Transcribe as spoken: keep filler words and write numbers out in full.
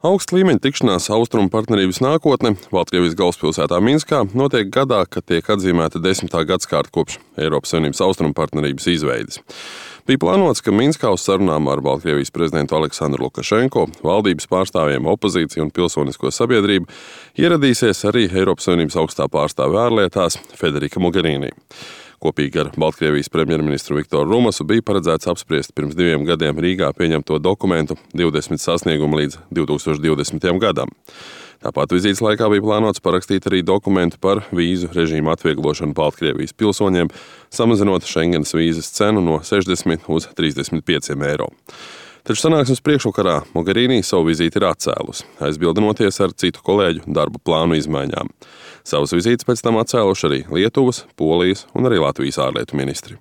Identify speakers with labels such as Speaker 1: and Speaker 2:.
Speaker 1: Augsta līmeņa tikšanās Austrumu partnerības nākotne Baltkrievijas galvaspilsētā Minskā notiek gadā, kad tiek atzīmēta desmitā gadsimta kopš Eiropas Savienības Austrumu partnerības izveides. Bija plānots, ka Minskā uz sarunām ar Baltkrievijas prezidentu Aleksandru Lukašenko, valdības pārstāvjiem, opozīciju un pilsonisko sabiedrību ieradīsies arī Eiropas Savienības augstā pārstāve ārlietās Federika Mogherini. Kopīgi ar Baltkrievijas premjerministru Viktoru Rumasu bija paredzēts apspriest pirms diviem gadiem Rīgā pieņemto dokumentu divdesmit sasniegumu līdz divi tūkstoši divdesmitajam gadam. Tāpat vizītes laikā bija plānots parakstīt arī dokumentu par vīzu režīmu atvieglošanu Baltkrievijas pilsoņiem, samazinot Schengenas vīzas cenu no sešdesmit uz trīsdesmit pieciem eiro. Taču sanāksmes priekšvakarā Mogherini savu vizīti ir atcēlusi, aizbildinoties ar citu kolēģu darba plānu izmaiņām. Savas vizītes pēc tam atcēluši arī Lietuvas, Polijas un arī Latvijas ārlietu ministri.